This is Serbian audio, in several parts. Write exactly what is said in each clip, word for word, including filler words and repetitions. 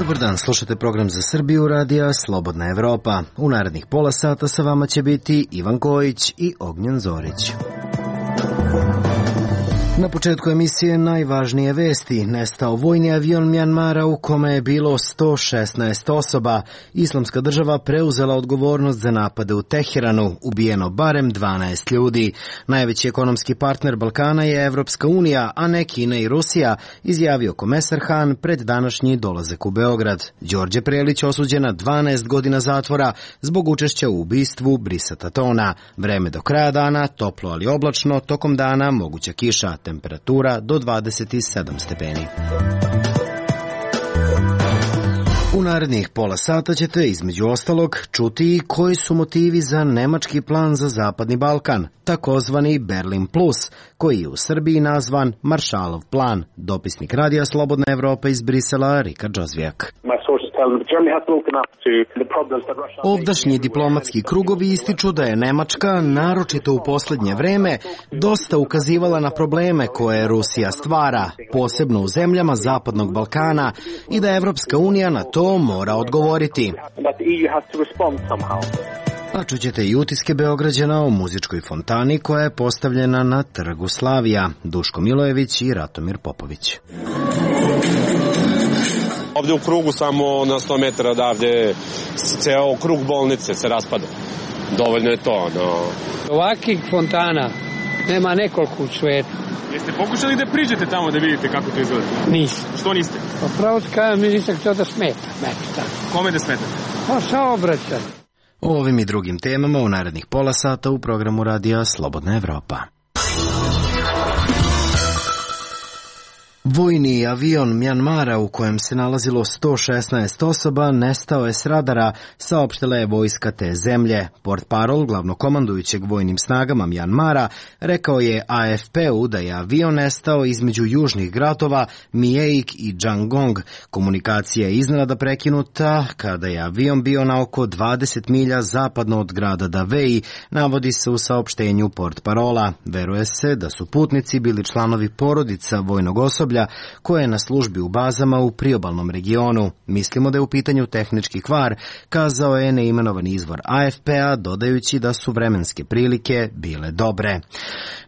Dobar dan, slušate program za Srbiju radija Slobodna Evropa. U narednih pola sata sa vama će biti Ivan Kojić i Ognjen Zorić. Na početku emisije najvažnije vesti. Nestao vojni avion Mjanmara u kome je bilo sto šesnaest osoba. Islamska država preuzela odgovornost za napade u Teheranu. Ubijeno barem dvanaest ljudi. Najveći ekonomski partner Balkana je Evropska unija, a ne Kina i Rusija, izjavio komesar Han pred današnji dolazak u Beograd. Đorđe Prelić osuđen na dvanaest godina zatvora zbog učešća u ubistvu Brisata Tona. Vreme do kraja dana, toplo ali oblačno, tokom dana moguća kiša. Temperatura do dvadeset sedam stepeni. U narednih pola sata ćete između ostalog čuti i koji su motivi za nemački plan za Zapadni Balkan, takozvani Berlin Plus, koji je u Srbiji nazvan Maršalov plan. Dopisnik Radija Slobodna Evropa iz Brisela, Rika Džozvijak. Ovdašnji diplomatski krugovi ističu da je Nemačka, naročito u posljednje vreme, dosta ukazivala na probleme koje Rusija stvara, posebno u zemljama Zapadnog Balkana, i da Evropska unija na to mora odgovoriti. A čućete i utiske Beograđana o muzičkoj fontani koja je postavljena na Trgu Slavija. Duško Milojević i Ratomir Popović. Ovdje u krugu samo na sto metara odavde ceo krug bolnice se raspada. Dovoljno je to. No. Ovakvih fontana nema nekoliko u svetu. Jeste pokušali da priđete tamo da vidite kako to izgleda? Nisam. Što niste? Pa pravo kažem, nisam htio da smeta. Kome da smeta? Pa saobraćaj. O ovim i drugim temama u narednih pola sata u programu radija Slobodna Evropa. Vojni avion Mjanmara u kojem se nalazilo sto šesnaest osoba nestao je s radara, saopštila je vojska te zemlje. Portparol glavnokomandujućeg vojnim snagama Mjanmara rekao je A F P-u da je avion nestao između južnih gradova Mijeik i Jangong. Komunikacija je iznenada prekinuta kada je avion bio na oko dvadeset milja zapadno od grada Davei, navodi se u saopštenju Portparola. Veruje se da su putnici bili članovi porodica vojnog osoblja koje je na službi u bazama u priobalnom regionu. Mislimo da je u pitanju tehnički kvar, kazao je neimenovani izvor A F P-a, dodajući da su vremenske prilike bile dobre.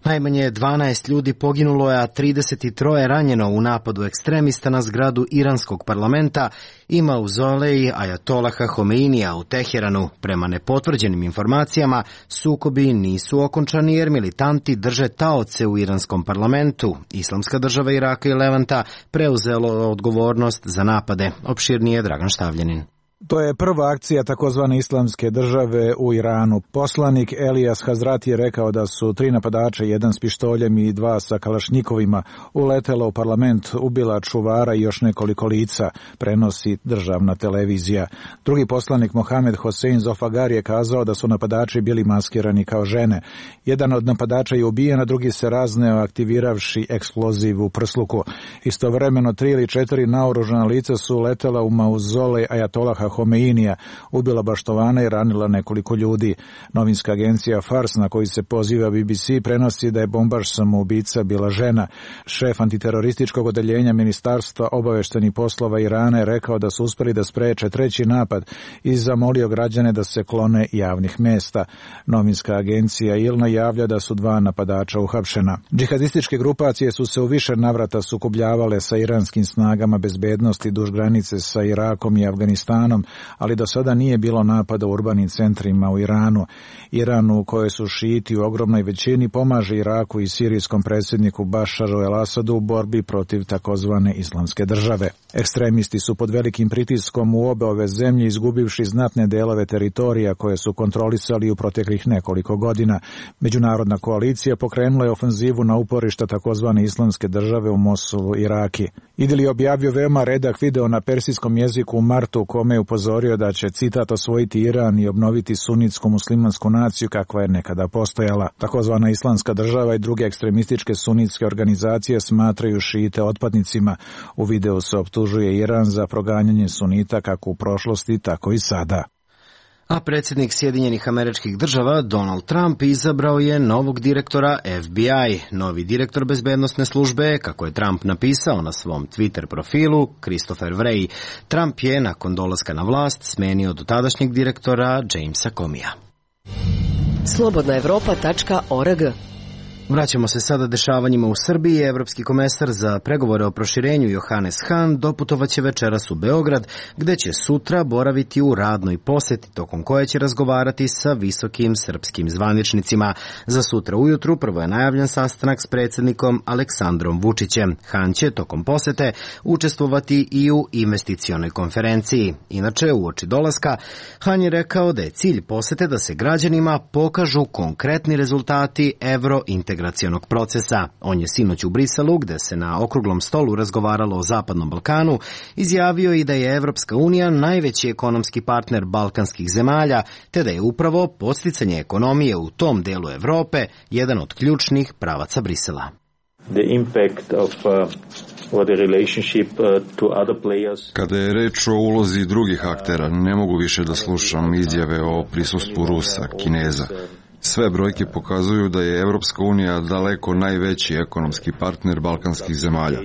Najmanje dvanaest ljudi poginulo je, a trideset tri ranjeno u napadu ekstremista na zgradu iranskog parlamenta i mauzolej Ajatolaha Homeinija u Teheranu. Prema nepotvrđenim informacijama, sukobi nisu okončani jer militanti drže taoce u iranskom parlamentu. Islamska država Iraka i Levanta preuzelo odgovornost za napade. Opširnije Dragan Štavljanin. To je prva akcija takozvane islamske države u Iranu. Poslanik Elijas Hazrati je rekao da su tri napadača, jedan s pištoljem i dva sa kalašnjikovima, uletela u parlament, ubila čuvara i još nekoliko lica, prenosi državna televizija. Drugi poslanik Mohamed Hosein Zofagar je kazao da su napadači bili maskirani kao žene. Jedan od napadača je ubijen, a drugi se razneo aktiviravši eksploziv u prsluku. Istovremeno tri ili četiri naoružana lica su uletela u mauzolej Ajatolaha Homeinija, ubila baštovana i ranila nekoliko ljudi. Novinska agencija Fars, na koji se poziva B B C, prenosi da je bombaš samoubica bila žena. Šef antiterorističkog odeljenja Ministarstva obaveštenih poslova Irana je rekao da su uspeli da spreče treći napad i zamolio građane da se klone javnih mesta. Novinska agencija Ilna javlja da su dva napadača uhapšena. Džihadističke grupacije su se u više navrata sukobljavale sa iranskim snagama bezbednosti duž granice sa Irakom i Afganistanom, ali do sada nije bilo napada u urbanim centrima u Iranu. Iran, u kojoj su šijiti u ogromnoj većini, pomaže Iraku i sirijskom predsjedniku Bašaru el-Asadu u borbi protiv takozvane islamske države. Ekstremisti su pod velikim pritiskom u obe ove zemlje, izgubivši znatne delove teritorija koje su kontrolisali u proteklih nekoliko godina. Međunarodna koalicija pokrenula je ofenzivu na uporišta takozvane islamske države u Mosulu, Iraki. Idil je objavio veoma redak video na persijskom jeziku u martu, u kome je upozorio da će, citat, osvojiti Iran i obnoviti sunitsku muslimansku naciju kakva je nekada postojala. Takozvana islamska država i druge ekstremističke sunitske organizacije smatraju šijite otpadnicima. U videu se optužuje Iran za proganjanje sunita kako u prošlosti, tako i sada. A predsjednik Sjedinjenih Američkih Država Donald Trump izabrao je novog direktora F B I. Novi direktor bezbednosne službe, kako je Trump napisao na svom Twitter profilu, Christopher Wray. Trump je nakon dolaska na vlast smenio dotadašnjeg direktora Jamesa Comeyja. slobodna evropa tačka org. Vraćamo se sada dešavanjima u Srbiji. Evropski komesar za pregovore o proširenju Johannes Hahn doputovaće večeras u Beograd, gde će sutra boraviti u radnoj poseti, tokom koje će razgovarati sa visokim srpskim zvaničnicima. Za sutra ujutru prvo je najavljen sastanak s predsjednikom Aleksandrom Vučićem. Hahn će tokom posete učestvovati i u investicionoj konferenciji. Inače, uoči dolaska, Hahn je rekao da je cilj posete da se građanima pokažu konkretni rezultati evrointegracije integracionog procesa. On je sinoć u Briselu, gde se na okruglom stolu razgovaralo o Zapadnom Balkanu, izjavio i da je Evropska unija najveći ekonomski partner balkanskih zemalja, te da je upravo podsticanje ekonomije u tom delu Evrope jedan od ključnih pravaca Brisela. The impact of uh, or the relationship uh, to other players. Kada je reč o ulozi drugih aktera, ne mogu više da slušam izjave o prisustvu Rusa, Kineza. Sve brojke pokazuju da je Evropska unija daleko najveći ekonomski partner balkanskih zemalja.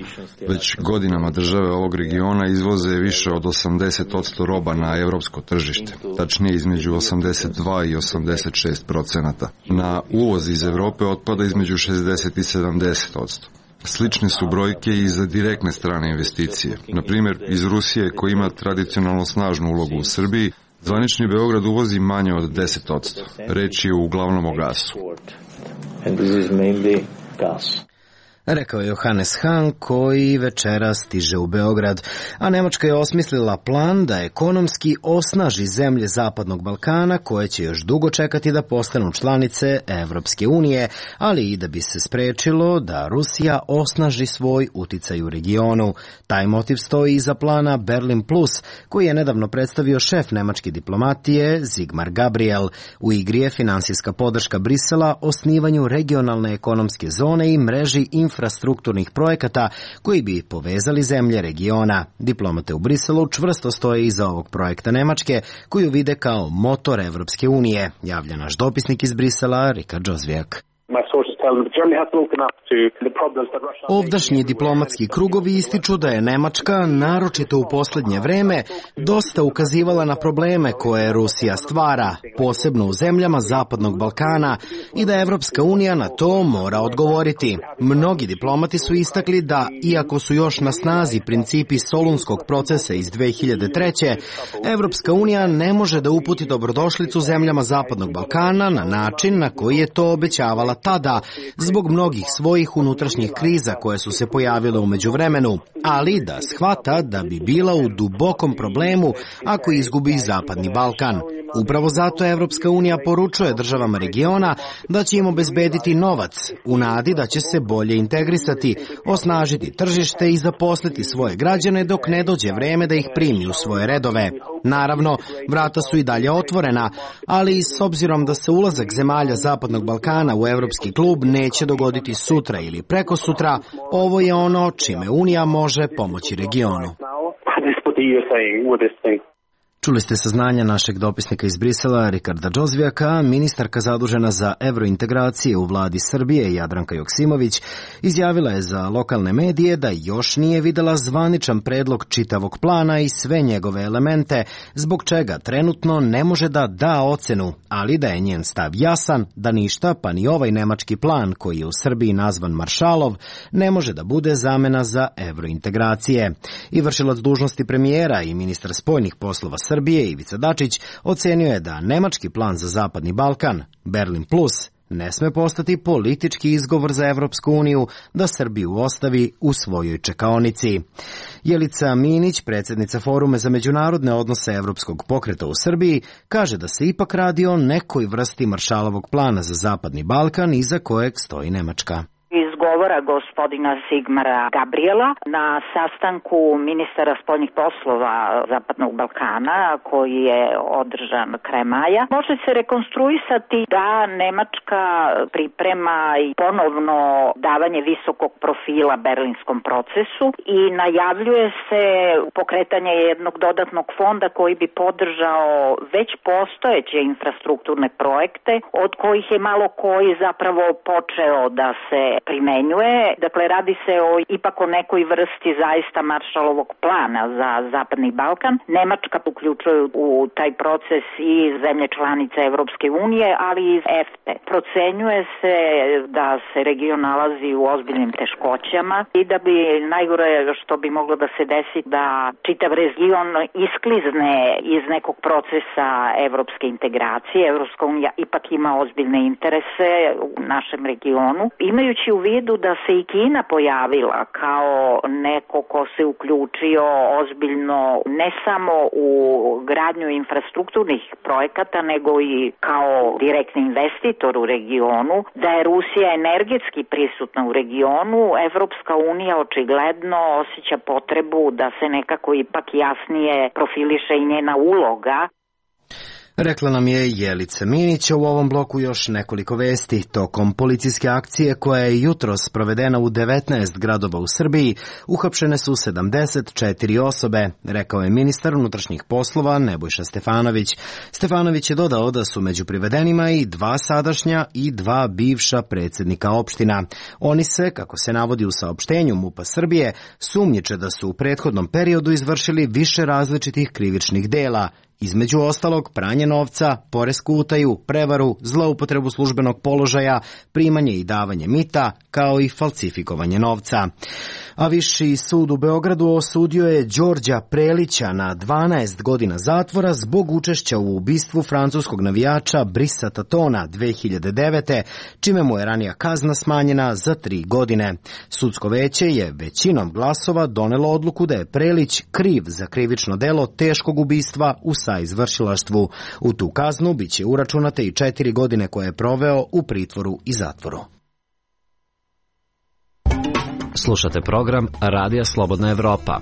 Već godinama države ovog regiona izvoze više od osamdeset posto roba na evropsko tržište, tačnije između osamdeset dva i osamdeset šest procenata. Na uvoz iz Evrope otpada između šezdeset i sedamdeset posto. Slične su brojke i za direktne strane investicije. Na primjer, iz Rusije, koja ima tradicionalno snažnu ulogu u Srbiji, zvanični Beograd uvozi manje od deset posto. Reč je uglavnom o gasu. Rekao je Johannes Hahn, koji večera stiže u Beograd. A Nemačka je osmislila plan da ekonomski osnaži zemlje Zapadnog Balkana, koje će još dugo čekati da postanu članice Evropske unije, ali i da bi se sprečilo da Rusija osnaži svoj uticaj u regionu. Taj motiv stoji iza plana Berlin Plus, koji je nedavno predstavio šef nemačke diplomatije Sigmar Gabriel. U igri je finansijska podrška Brisela osnivanju regionalne ekonomske zone i mreži infrastrukture infrastrukturnih projekata koji bi povezali zemlje regiona. Diplomate u Briselu čvrsto stoje iza ovog projekta Nemačke, koju vide kao motor Evropske unije, javlja naš dopisnik iz Brisela, Rika Džozvijak. Ovdašnji diplomatski krugovi ističu da je Nemačka, naročito u posljednje vreme, dosta ukazivala na probleme koje Rusija stvara, posebno u zemljama Zapadnog Balkana, i da Evropska unija na to mora odgovoriti. Mnogi diplomati su istakli da, iako su još na snazi principi Solunskog procesa iz dve hiljade treće. Evropska unija ne može da uputi dobrodošlicu zemljama Zapadnog Balkana na način na koji je to obećavala tada, zbog mnogih svojih unutrašnjih kriza koje su se pojavile u međuvremenu, ali da shvata da bi bila u dubokom problemu ako izgubi Zapadni Balkan. Upravo zato Evropska unija poručuje državama regiona da će im obezbediti novac, u nadi da će se bolje integrisati, osnažiti tržište i zaposliti svoje građane dok ne dođe vreme da ih primi u svoje redove. Naravno, vrata su i dalje otvorena, ali s obzirom da se ulazak zemalja Zapadnog Balkana u Evropski klub neće dogoditi sutra ili preko sutra, ovo je ono čime Unija može pomoći regionu. Čuli ste saznanja našeg dopisnika iz Brisela, Rikarda Džozvijaka. Ministarka zadužena za evrointegracije u vladi Srbije, Jadranka Joksimović, izjavila je za lokalne medije da još nije videla zvaničan predlog čitavog plana i sve njegove elemente, zbog čega trenutno ne može da da ocenu, ali da je njen stav jasan, da ništa, pa ni ovaj nemački plan, koji je u Srbiji nazvan Maršalov, ne može da bude zamena za evrointegracije. I vršilac dužnosti premijera i ministar spoljnih poslova Srbije, Srbije Ivica Dačić, ocenio je da nemački plan za Zapadni Balkan, Berlin Plus, ne sme postati politički izgovor za Evropsku uniju da Srbiju ostavi u svojoj čekaonici. Jelica Minić, predsjednica Foruma za međunarodne odnose Evropskog pokreta u Srbiji, kaže da se ipak radi o nekoj vrsti Maršalovog plana za Zapadni Balkan iza kojeg stoji Nemačka. Iz govora gospodina Sigmara Gabriela na sastanku ministara spoljnih poslova Zapadnog Balkana koji je održan krajem maja. Može se rekonstruisati da Nemačka priprema i ponovno davanje visokog profila berlinskom procesu i najavljuje se pokretanje jednog dodatnog fonda koji bi podržao već postojeće infrastrukturne projekte od kojih je malo koji zapravo počeo da se primenjuje. Dakle, radi se o ipak o nekoj vrsti zaista Maršalovog plana za Zapadni Balkan. Nemačka uključuje u taj proces i zemlje članice Evropske unije, ali i iz EFTE. Procenjuje se da se region nalazi u ozbiljnim teškoćama i da bi najgore što bi moglo da se desi da čitav region isklizne iz nekog procesa evropske integracije. Evropska unija ipak ima ozbiljne interese u našem regionu. Imajući u vidu da se i Kina pojavila kao neko ko se uključio ozbiljno ne samo u gradnju infrastrukturnih projekata, nego i kao direktni investitor u regionu, da je Rusija energetski prisutna u regionu, Evropska unija očigledno osjeća potrebu da se nekako ipak jasnije profiliše i njena uloga. Rekla nam je Jelica Minić. U ovom bloku još nekoliko vesti. Tokom policijske akcije koja je jutros provedena u devetnaest gradova u Srbiji, uhapšene su sedamdeset četiri osobe, rekao je ministar unutrašnjih poslova Nebojša Stefanović. Stefanović je dodao da su među privedenima i dva sadašnja i dva bivša predsjednika opština. Oni se, kako se navodi u saopštenju MUP-a Srbije, sumnjiče da su u prethodnom periodu izvršili više različitih krivičnih dela, između ostalog pranje novca, poresku utaju, prevaru, zloupotrebu službenog položaja, primanje i davanje mita, kao i falsifikovanje novca. A Viši sud u Beogradu osudio je Đorđa Prelića na dvanaest godina zatvora zbog učešća u ubistvu francuskog navijača Brisa Tatona dve hiljade devete. čime mu je ranija kazna smanjena za tri godine. Sudsko veće je većinom glasova donelo odluku da je Prelić kriv za krivično delo teškog ubistva u saizvršilaštvu. U tu kaznu biće uračunate i četiri godine koje je proveo u pritvoru i zatvoru. Slušate program Radija Slobodna Evropa.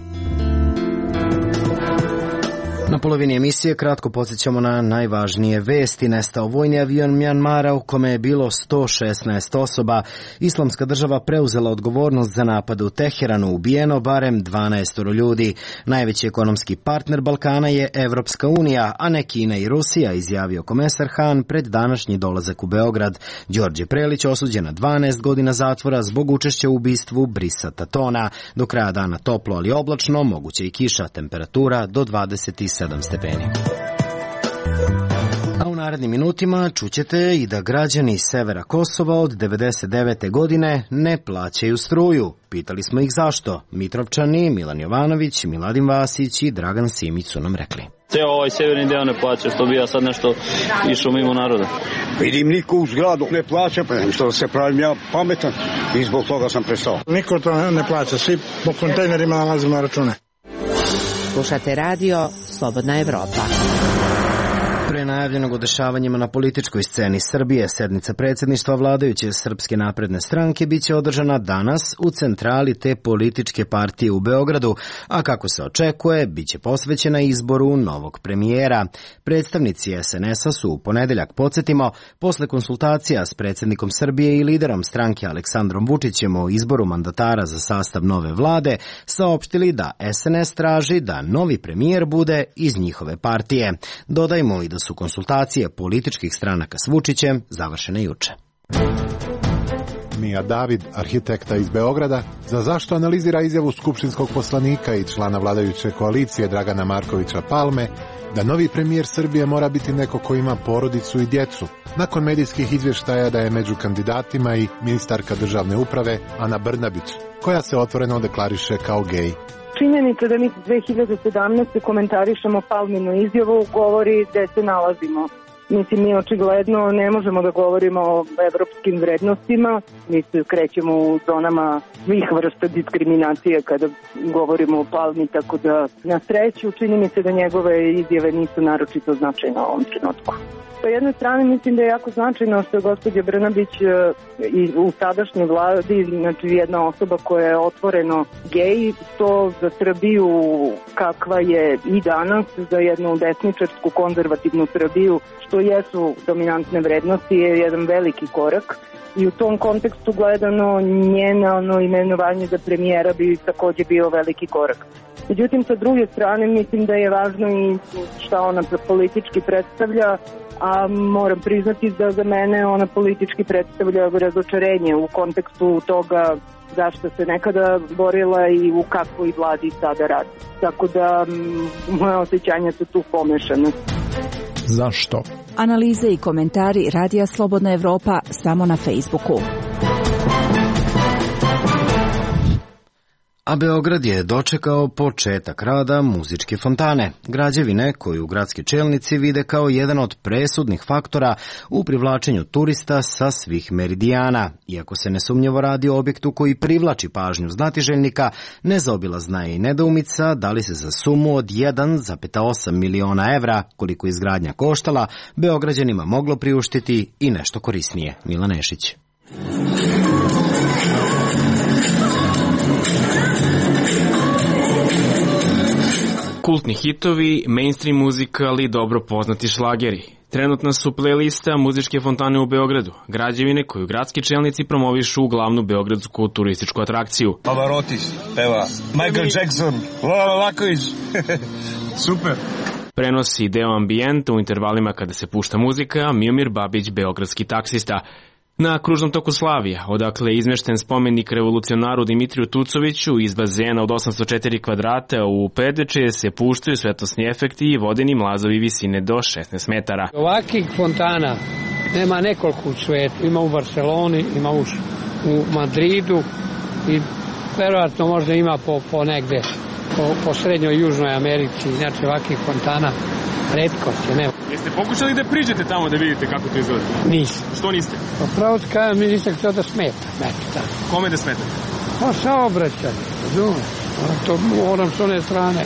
Na polovini emisije kratko podsjećamo na najvažnije vesti. Nestao vojni avion Mjanmara u kome je bilo sto šesnaest osoba. Islamska država preuzela odgovornost za napad u Teheranu, ubijeno barem dvanaest ljudi. Najveći ekonomski partner Balkana je Evropska unija, a ne Kina i Rusija, izjavio komesar Han pred današnji dolazak u Beograd. Đorđe Prelić osuđen na dvanaest godina zatvora zbog učešća u ubistvu Brisa Tatona. Do kraja dana toplo, ali oblačno, moguće i kiša, temperatura do dvadeset sedam stepeni. A u narednim minutima čućete i da građani severa Kosova od devedeset devete godine ne plaćaju struju. Pitali smo ih zašto. Mitrovčani, Milan Jovanović, Miladin Vasić i Dragan Simić su nam rekli. Ceo ovaj severni deo ne plaća, što bi ja sad nešto išao mimo naroda. Vidim niko u zgradu ne plaća, pa što se pravim ja pametan i zbog toga sam prestao. Niko to ne plaća, svi po kontejnerima nalazimo račune. Slušate radio Slobodna Evropa. Pre najavljenog o dešavanjima na političkoj sceni Srbije, sednica predsjedništva vladajuće Srpske napredne stranke biće održana danas u centrali te političke partije u Beogradu, a kako se očekuje, biće posvećena izboru novog premijera. Predstavnici es en es a su u ponedeljak, podsjetimo, posle konsultacija s predsjednikom Srbije i liderom stranke Aleksandrom Vučićem o izboru mandatara za sastav nove vlade, saopštili da es en es traži da novi premijer bude iz njihove partije. Dodajmo i da su konsultacije političkih stranaka s Vučićem završene juče. Mija David, arhitekta iz Beograda, za zašto analizira izjavu skupštinskog poslanika i člana vladajuće koalicije Dragana Markovića Palme da novi premijer Srbije mora biti neko ko ima porodicu i djecu, nakon medijskih izvještaja da je među kandidatima i ministarka državne uprave Ana Brnabić, koja se otvoreno deklariše kao gej. Činjenica da mi dve hiljade sedamnaeste komentarišemo Palminu izjavu govori gde se nalazimo. Mislim, mi očigledno ne možemo da govorimo o evropskim vrednostima, mi se krećemo u zonama svih vrsta diskriminacije kada govorimo o Palmi, tako da na sreću čini mi se da njegove izjave nisu naročito značajne u ovom trenutku. Po jednoj strani mislim da je jako značajno što je gospođa Brnabić i u sadašnjoj vladi, znači jedna osoba koja je otvoreno gej, to za Srbiju kakva je i danas, za jednu desničarsku konzervativnu Srbiju, što jesu dominantne vrednosti, je jedan veliki korak. I u tom kontekstu gledano njeno ono, imenovanje za premijera bi takođe bio veliki korak. Međutim, sa druge strane, mislim da je važno i šta ona politički predstavlja, a moram priznati da za mene ona politički predstavlja razočarenje u kontekstu toga zašto se nekada borila i u kakvoj vladi sada radi. Tako da moje osjećanja su tu pomešane. Zašto? Analize i komentari Radija Slobodna Evropa samo na Facebooku. A Beograd je dočekao početak rada muzičke fontane, građevine koju gradski čelnici vide kao jedan od presudnih faktora u privlačenju turista sa svih meridijana. Iako se nesumnjivo radi o objektu koji privlači pažnju znatiželjnika, nezaobilazna je i nedoumica da li se za sumu od jedan zarez osam miliona evra, koliko izgradnja koštala, Beograđanima moglo priuštiti i nešto korisnije. Milan Nešić. Kultni hitovi, mainstream muzika, ali dobro poznati šlageri. Trenutna su playlista muzičke fontane u Beogradu, građevine koju gradski čelnici promovišu u glavnu beogradsku turističku atrakciju. Pavarotti peva, Michael Jackson, Lola Laković, super. Prenosi deo ambijenta u intervalima kada se pušta muzika, Miomir Babić, beogradski taksista. Na kružnom toku Slavija, odakle je izmešten spomenik revolucionaru Dimitriju Tucoviću iz bazena od osamsto četiri kvadrata u Pedeče se puštaju svetlosni efekti i vodeni mlazovi visine do šesnaest metara. Ovakvih fontana nema nekoliko u svetu. Ima u Barceloni, ima u, u Madridu i verovatno možda ima po, po negde, po, po srednjoj i južnoj Americi. Znači ovakvih fontana retkost je, nema. Jeste pokušali da priđete tamo da vidite kako to izgleda? Nisam. Što niste? Pa pravo ti kažem, mi nisam htio da smeta. Znači, kome da smetate? Pa saobraćaj, razumem. To moram s one strane,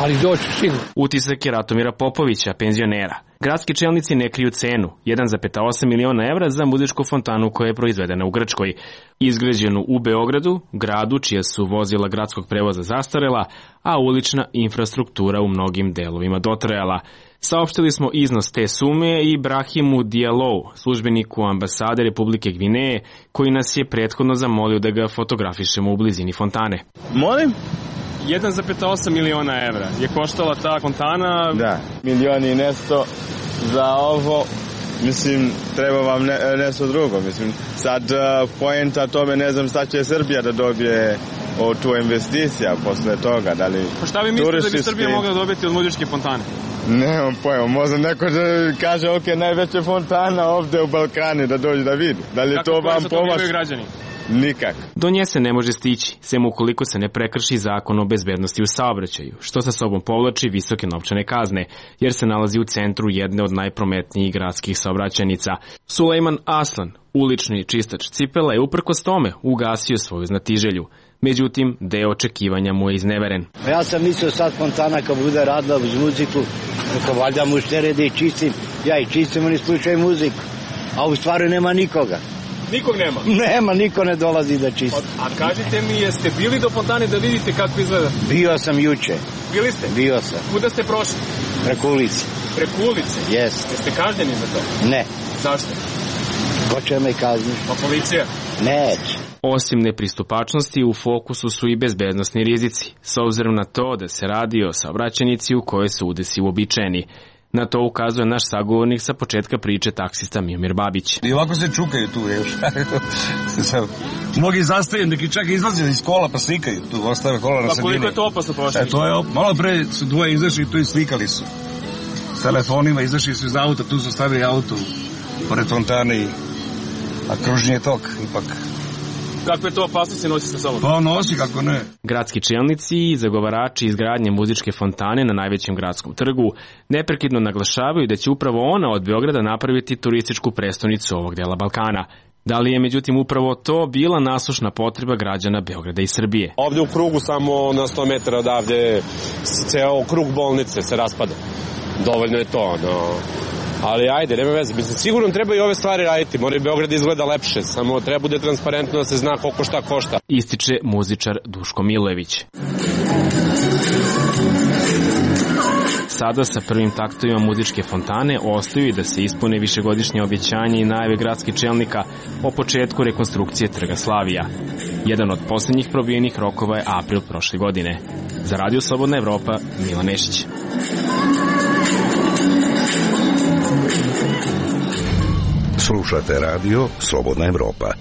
ali doću sigurno. Utisak je Ratomira Popovića, penzionera. Gradski čelnici ne kriju cenu, jedan zarez osam miliona evra za muzičku fontanu koja je proizvedena u Grčkoj. Izgrađenu u Beogradu, gradu čija su vozila gradskog prevoza zastarela, a ulična infrastruktura u mnogim delovima dotrajala. Saopštili smo iznos te sume i Brahimu Dialou, službeniku ambasade Republike Gvineje, koji nas je prethodno zamolio da ga fotografišemo u blizini fontane. Molim? jedan zarez osam miliona evra je koštala ta fontana. Da, milion i nešto za ovo. Mislim, treba vam ne, nešto drugo. Mislim, sad uh, poenta tome, ne znam šta će Srbija da dobije od tu investicija posle toga. Da li pa šta vi mislite da bi Srbija mogla dobiti od muzičke fontane? Nemam pojma, možda neko da kaže ok, najveća fontana ovde u Balkani da dođe da vidi. Da li kako to vam pomaže? Građani? Nikak. Do nje se ne može stići, sem ukoliko se ne prekrši zakon o bezbednosti u saobraćaju, što sa sobom povlači visoke novčane kazne, jer se nalazi u centru jedne od najprometnijih gradskih saobraćajnica. Sulejman Aslan, ulični čistač cipela, je uprkos tome ugasio svoju znatiželju. Međutim, deo očekivanja mu je izneveren. Ja sam mislio sad fontana kad bude radila uz muziku, kako valjda muštere da i čistim, ja i čistim, oni slušaju muziku, a u stvari nema nikoga. Nikog nema? Nema, niko ne dolazi da čisti. A kažite mi, jeste bili do fontane da vidite kako izgleda? Bio sam juče. Bili ste? Bio sam. Kuda ste prošli? Preko ulice. Preko ulice? Jeste. Jeste kažnjeni za to? Ne. Zašto? Ko će me kazniti? Pa policija? Neće. Osim nepristupačnosti, u fokusu su i bezbednosni rizici, s obzirom na to da se radi o saobraćajnici u kojoj se udesi uobičajeni. Na to ukazuje naš sagovornik sa početka priče, taksista Miomir Babić. I ovako se čukaju tu, još. Mnogi zastaju, neki čak izlaze iz kola pa slikaju tu, ostave kola na sredini. Pa koliko je to opasno prošlo? E, to je op... Malo pre su dvoje izašli tu i slikali su. S telefonima izašli su iz auta, tu su stavili auto pored fontane i... A kružni je tok, ipak. kakve to opasnosti nosi sa sobom? Pa nosi, kako ne. Gradski čelnici i zagovarači izgradnje muzičke fontane na najvećem gradskom trgu neprekidno naglašavaju da će upravo ona od Beograda napraviti turističku prestonicu ovog dela Balkana. Da li je međutim upravo to bila nasušna potreba građana Beograda i Srbije? Ovde u krugu samo na sto metara odavde ceo krug bolnice se raspada. Dovoljno je to, no. Ali ajde, nema veze. Mislim, sigurno treba i ove stvari raditi. Mora i Beograd izgleda lepše. Samo treba bude transparentno da se zna koliko šta košta. Ističe muzičar Duško Milojević. Sada sa prvim taktovima muzičke fontane ostaju i da se ispune višegodišnje obećanje i najave gradskih čelnika o početku rekonstrukcije Trga Slavija. Jedan od posljednjih probijenih rokova je april prošle godine. Za Radio Slobodna Evropa, Milan Nešić. Slušate radio Slobodna Evropa.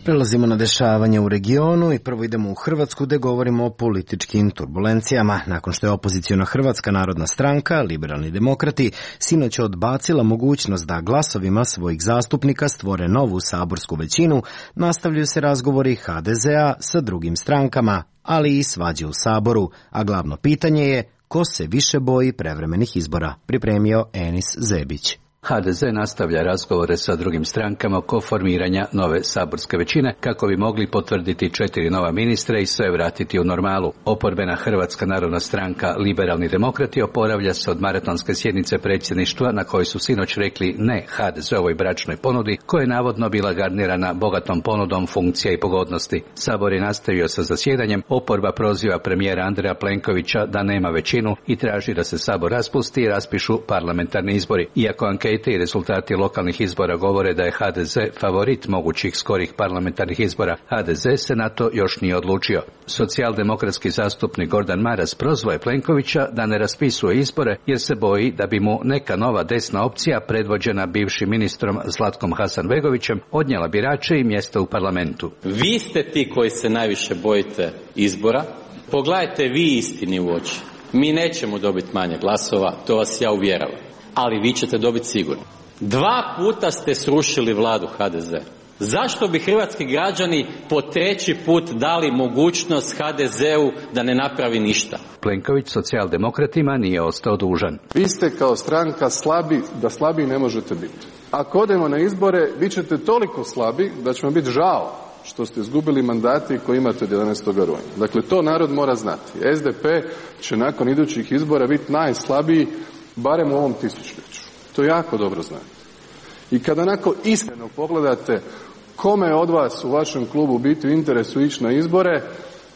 Prelazimo na dešavanje u regionu i prvo idemo u Hrvatsku gde govorimo o političkim turbulencijama. Nakon što je opoziciona Hrvatska narodna stranka, Liberalni demokrati, sinoć odbacila mogućnost da glasovima svojih zastupnika stvore novu saborsku većinu, nastavljaju se razgovori ha de zea sa drugim strankama, ali i svađe u Saboru, a glavno pitanje je ko se više boji prevremenih izbora, pripremio Enis Zebić. ha de ze nastavlja razgovore sa drugim strankama oko formiranja nove saborske većine kako bi mogli potvrditi četiri nova ministra i sve vratiti u normalu. Oporbena Hrvatska narodna stranka Liberalni demokrati oporavlja se od maratonske sjednice predsjedništva na kojoj su sinoć rekli ne ha de zeovoj bračnoj ponudi koja je navodno bila garnirana bogatom ponudom funkcija i pogodnosti. Sabor je nastavio sa zasjedanjem, oporba proziva premijera Andreja Plenkovića da nema većinu i traži da se Sabor raspusti i raspišu parlamentarni izbori. Iako ankete i rezultati lokalnih izbora govore da je ha de ze favorit mogućih skorih parlamentarnih izbora, ha de ze se na to još nije odlučio. Socijaldemokratski zastupnik Gordan Maras prozvao je Plenkovića da ne raspisuje izbore jer se boji da bi mu neka nova desna opcija predvođena bivšim ministrom Zlatkom Hasanbegovićem odnijela birače i mjesta u parlamentu. Vi ste ti koji se najviše bojite izbora. Pogledajte vi istini u oči. Mi nećemo dobiti manje glasova, to vas ja uvjeravam. Ali vi ćete dobiti sigurno. Dva puta ste srušili vladu ha de ze. Zašto bi hrvatski građani po treći put dali mogućnost ha de zeu da ne napravi ništa? Plenković socijaldemokratima nije ostao dužan. Vi ste kao stranka slabi da slabiji ne možete biti. Ako odemo na izbore, bit ćete toliko slabi da će vam biti žao što ste izgubili mandati koji imate od jedanaestog rujna. Dakle, to narod mora znati. es de pe će nakon idućih izbora biti najslabiji barem u ovom tisućljeću. To jako dobro znate. I kada onako iskreno pogledate kome od vas u vašem klubu biti u interesu ići na izbore,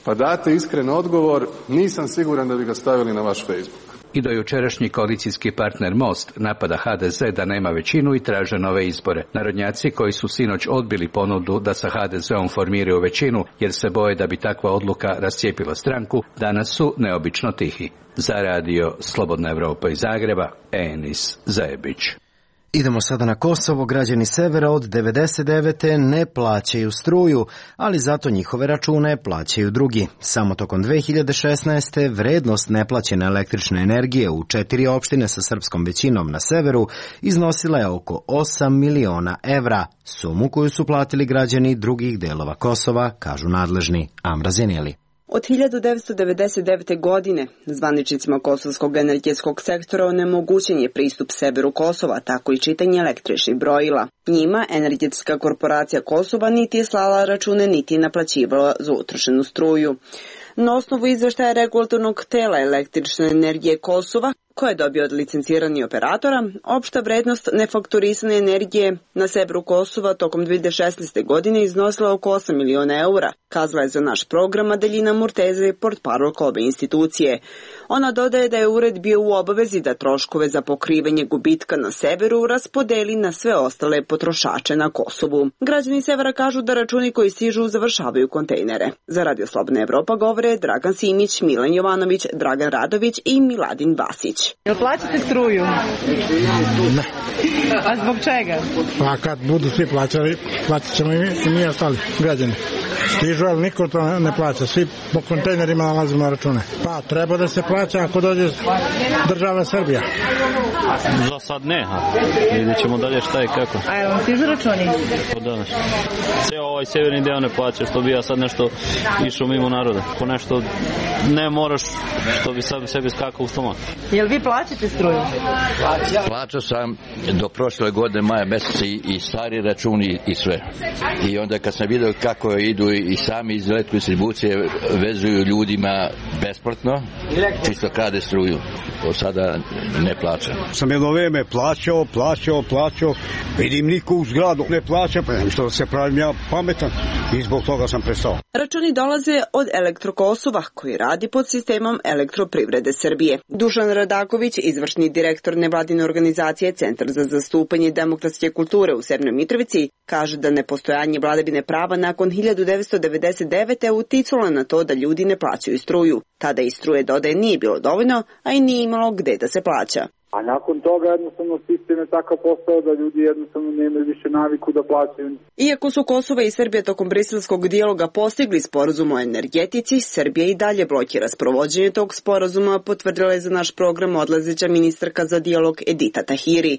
pa date iskren odgovor, nisam siguran da bi ga stavili na vaš Facebook. I do jučerašnji koalicijski partner Most napada ha de ze da nema većinu i traže nove izbore. Narodnjaci koji su sinoć odbili ponudu da sa ha de zeom formiraju većinu jer se boje da bi takva odluka rascijepila stranku, danas su neobično tihi. Za radio Slobodna Evropa iz Zagreba, Enis Zebić. Idemo sada na Kosovo. Građani severa od devedeset devete ne plaćaju struju, ali zato njihove račune plaćaju drugi. Samo tokom dve hiljade šesnaeste. vrednost neplaćene električne energije u četiri opštine sa srpskom većinom na severu iznosila je oko osam miliona evra, sumu koju su platili građani drugih delova Kosova, kažu nadležni. Amra Zeneli. Od hiljadu devetsto devedeset devete. godine zvaničnicima kosovskog energetskog sektora onemogućen je pristup severu Kosova, tako i čitanje električnih brojila. Njima energetska korporacija Kosova niti je slala račune, niti je naplaćivala za utrošenu struju. Na osnovu izveštaja regulatornog tela električne energije Kosova, koje je dobio od licenciranih operatora, opšta vrednost nefakturisane energije na severu Kosova tokom dve hiljade šesnaeste. godine iznosila oko osam miliona eura, kazala je za naš program Adelina Murteze, portparolka ove institucije. Ona dodaje da je ured bio u obavezi da troškove za pokrivanje gubitka na severu raspodeli na sve ostale potrošače na Kosovu. Građani severa kažu da računi koji stižu završavaju kontejnere. Za Radio Slobodna Evropa govore Dragan Simić, Milan Jovanović, Dragan Radović i Miladin Vasić. Jel plaćate struju? Ne. A zbog čega? Pa kad budu svi plaćali, plaćat ćemo i mi, i mi ostali građani. Stižu, ali niko to ne plaća. Svi po kontejnerima nalazimo na račune. Pa, treba da se plaća ako dođe država Srbija. Za sad ne, ha. Vidjet ćemo dalje šta i kako. A je vam stižu računi? Od danas. Sve ovaj severni deo ne plaća, što bi ja sad nešto išao mimo naroda. Ko nešto ne moraš, što bi sad sebi skakao u stomak. Jel vi plaćate struju? Plaćao sam do prošle godine maja meseca i, i stari računi i sve. I onda kad sam vidio kako idu i sami iz elektrodistribucije vezuju ljudima besplatno, čisto krade struju. To sada ne plaćam. Sam jedno vreme plaćao, plaćao, plaćao. Vidim niko u zgradu ne plaća, pa što se pravim ja pametan i zbog toga sam prestao. Računi dolaze od Elektrokosova, koji radi pod sistemom Elektroprivrede Srbije. Dušan Radaković, izvršni direktor nevladine organizacije Centar za zastupanje demokratske kulture u Severnoj Mitrovici, kaže da nepostojanje vladavine prava nakon hiljadu devetsto devedeset devete. uticalo na to da ljudi ne plaćaju struju. Tada i struje dodaje nije bilo dovoljno, a i nije imalo gde da se plaća. A nakon toga jednostavno sistem je takav postao da ljudi jednostavno nemaju više naviku da plaćaju. Iako su Kosovo i Srbija tokom briselskog dijaloga postigli sporazum o energetici, Srbija i dalje blokira sprovođenje tog sporazuma, potvrdila je za naš program odlazeća ministarka za dijalog Edita Tahiri.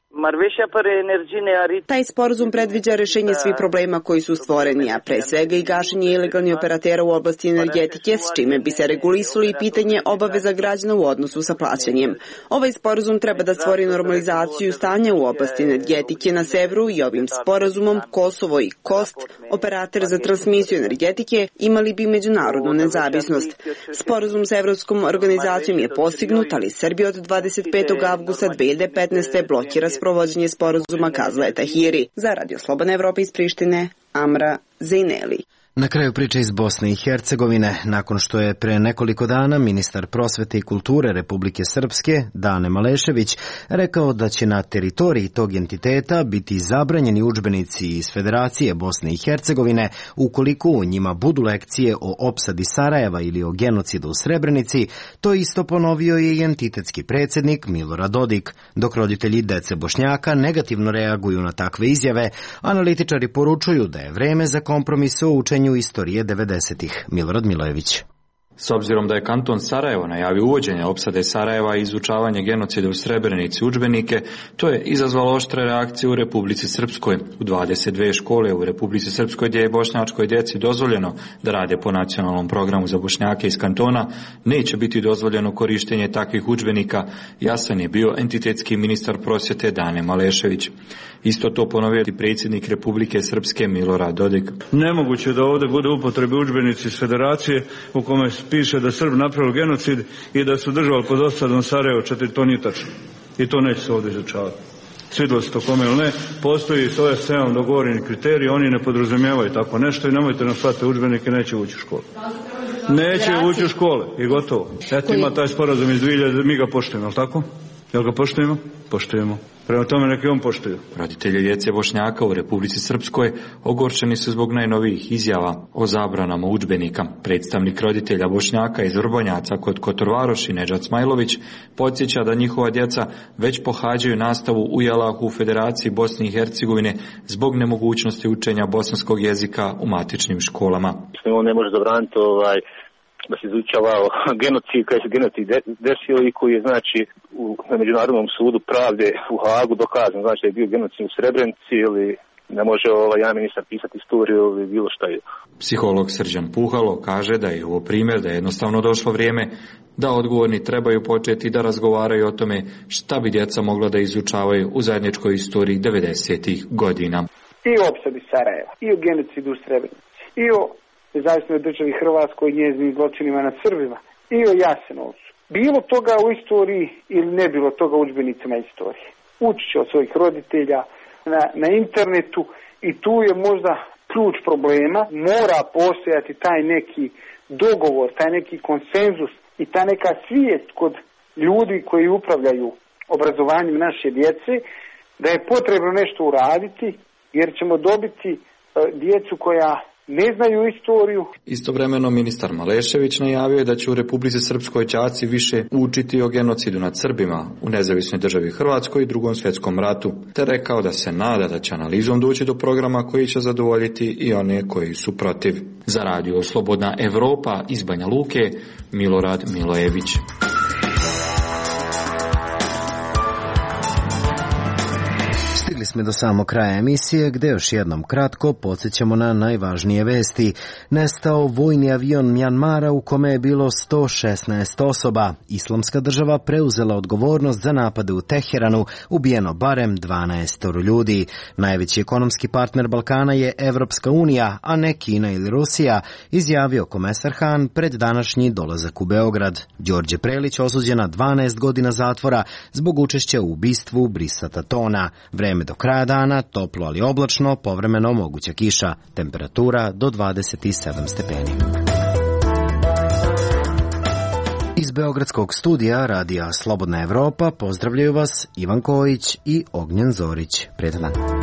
Taj sporazum predviđa rešenje svih problema koji su stvoreni, a pre svega i gašenje ilegalnih operatera u oblasti energetike, s čime bi se regulisali pitanje obaveza građana u odnosu sa plaćanjem. Ovaj sporazum treba da stvori normalizaciju stanja u oblasti energetike na severu i ovim sporazumom Kosovo i Kost, operator za transmisiju energetike, imali bi međunarodnu nezavisnost. Sporazum sa Evropskom organizacijom je postignut, ali Srbija od dvadeset petog avgusta dve hiljade petnaeste. blokira sprovođenje sporazuma, kazala je Tahiri. Za Radio Slobodna Evropa iz Prištine, Amra Zejneli. Na kraju priče iz Bosne i Hercegovine, nakon što je pre nekoliko dana ministar prosvete i kulture Republike Srpske, Dane Malešević, rekao da će na teritoriji tog entiteta biti zabranjeni udžbenici iz Federacije Bosne i Hercegovine ukoliko u njima budu lekcije o opsadi Sarajeva ili o genocidu u Srebrenici, to isto ponovio je i entitetski predsjednik Milorad Dodik. Dok roditelji dece Bošnjaka negativno reaguju na takve izjave, analitičari poručuju da je vreme za kompromis o učenju istorije devedesetih. Milorad Milojević. S obzirom da je kanton Sarajevo najavio uvođenje opsade Sarajeva i izučavanje genocida u Srebrenici udžbenike, to je izazvalo oštre reakcije u Republici Srpskoj. U dvadeset dve škole u Republici Srpskoj gdje je bošnjačkoj djeci dozvoljeno da rade po nacionalnom programu za Bošnjake iz kantona, neće biti dozvoljeno korištenje takvih udžbenika, jasan je bio entitetski ministar prosvjete Dane Malešević. Isto to ponovio i predsjednik Republike Srpske Milorad Dodik. Nemoguće da ovdje bude upotrebe udžbenici iz Federacije u kome piše da Srb napravio genocid i da su držali pod osadom Sarajevo četiri, to nije tačno. I to neće se ovdje izučavati. Svidjelo se to kome ili ne, postoji s O S C-om dogovoreni kriteriji, oni ne podrazumijevaju tako nešto i nemojte nam slati udžbenike, neće ući u školu. Neće ući u škole i gotovo. Eto ima taj sporazum iz dvije hiljade, mi ga poštujemo, ali tako? Jel ga poštujemo? Poštujemo. Prema tome neki on poštuju. Roditelji djece Bošnjaka u Republici Srpskoj ogorčeni su zbog najnovijih izjava o zabranama udžbenika. Predstavnik roditelja Bošnjaka iz Vrbonjaca kod Kotorvaroši, Nedžad Smajlović, podsjeća da njihova djeca već pohađaju nastavu u Jalahu u Federaciji Bosne i Hercegovine zbog nemogućnosti učenja bosanskog jezika u matičnim školama. On ne može zabraniti ovaj da se izučavao genocid, koji se genocid desio i koji je znači u, na Međunarodnom sudu pravde u Hagu dokazan, znači da je bio genocid u Srebrenici ili ne može ovaj jedan ministar pisati istoriju ili bilo šta je. Psiholog Srđan Puhalo kaže da je ovo primjer da je jednostavno došlo vrijeme da odgovorni trebaju početi da razgovaraju o tome šta bi djeca mogla da izučavaju u zajedničkoj istoriji devedesetih godina. I o opsadi Sarajeva, i o genocidu u Srebrenici, i o nezavisnoj državi Hrvatskoj i njezinim zločinima nad Srbima i o Jasenovcu. Bilo toga u istoriji ili ne bilo toga u udžbenicima istorije. Uči će od svojih roditelja na, na internetu i tu je možda ključ problema. Mora postojati taj neki dogovor, taj neki konsenzus i ta neka svijest kod ljudi koji upravljaju obrazovanjem naše djece da je potrebno nešto uraditi jer ćemo dobiti uh, djecu koja ne znaju istoriju. Istovremeno ministar Malešević najavio je da će u Republici Srpskoj đaci više učiti o genocidu nad Srbima u nezavisnoj državi Hrvatskoj i drugom svjetskom ratu, te rekao da se nada da će analizom doći do programa koji će zadovoljiti i one koji su protiv. Za radio Slobodna Evropa iz Banja Luke, Milorad Milojević. Stigli smo do samog kraja emisije, gde još jednom kratko podsjećamo na najvažnije vesti. Nestao vojni avion Mjanmara u kome je bilo sto šesnaest osoba. Islamska država preuzela odgovornost za napade u Teheranu, ubijeno barem dvanaest ljudi. Najveći ekonomski partner Balkana je Evropska unija, a ne Kina ili Rusija, izjavio komesar Han pred današnji dolazak u Beograd. Đorđe Prelić osuđen na dvanaest godina zatvora zbog učešća u ubistvu Brisata Tona. Vreme do kraja dana, toplo ali oblačno, povremeno moguća kiša, temperatura do dvadeset sedam stepeni. Iz Beogradskog studija radija Slobodna Evropa pozdravljaju vas Ivan Kojić i Ognjen Zorić. Prijetan dan.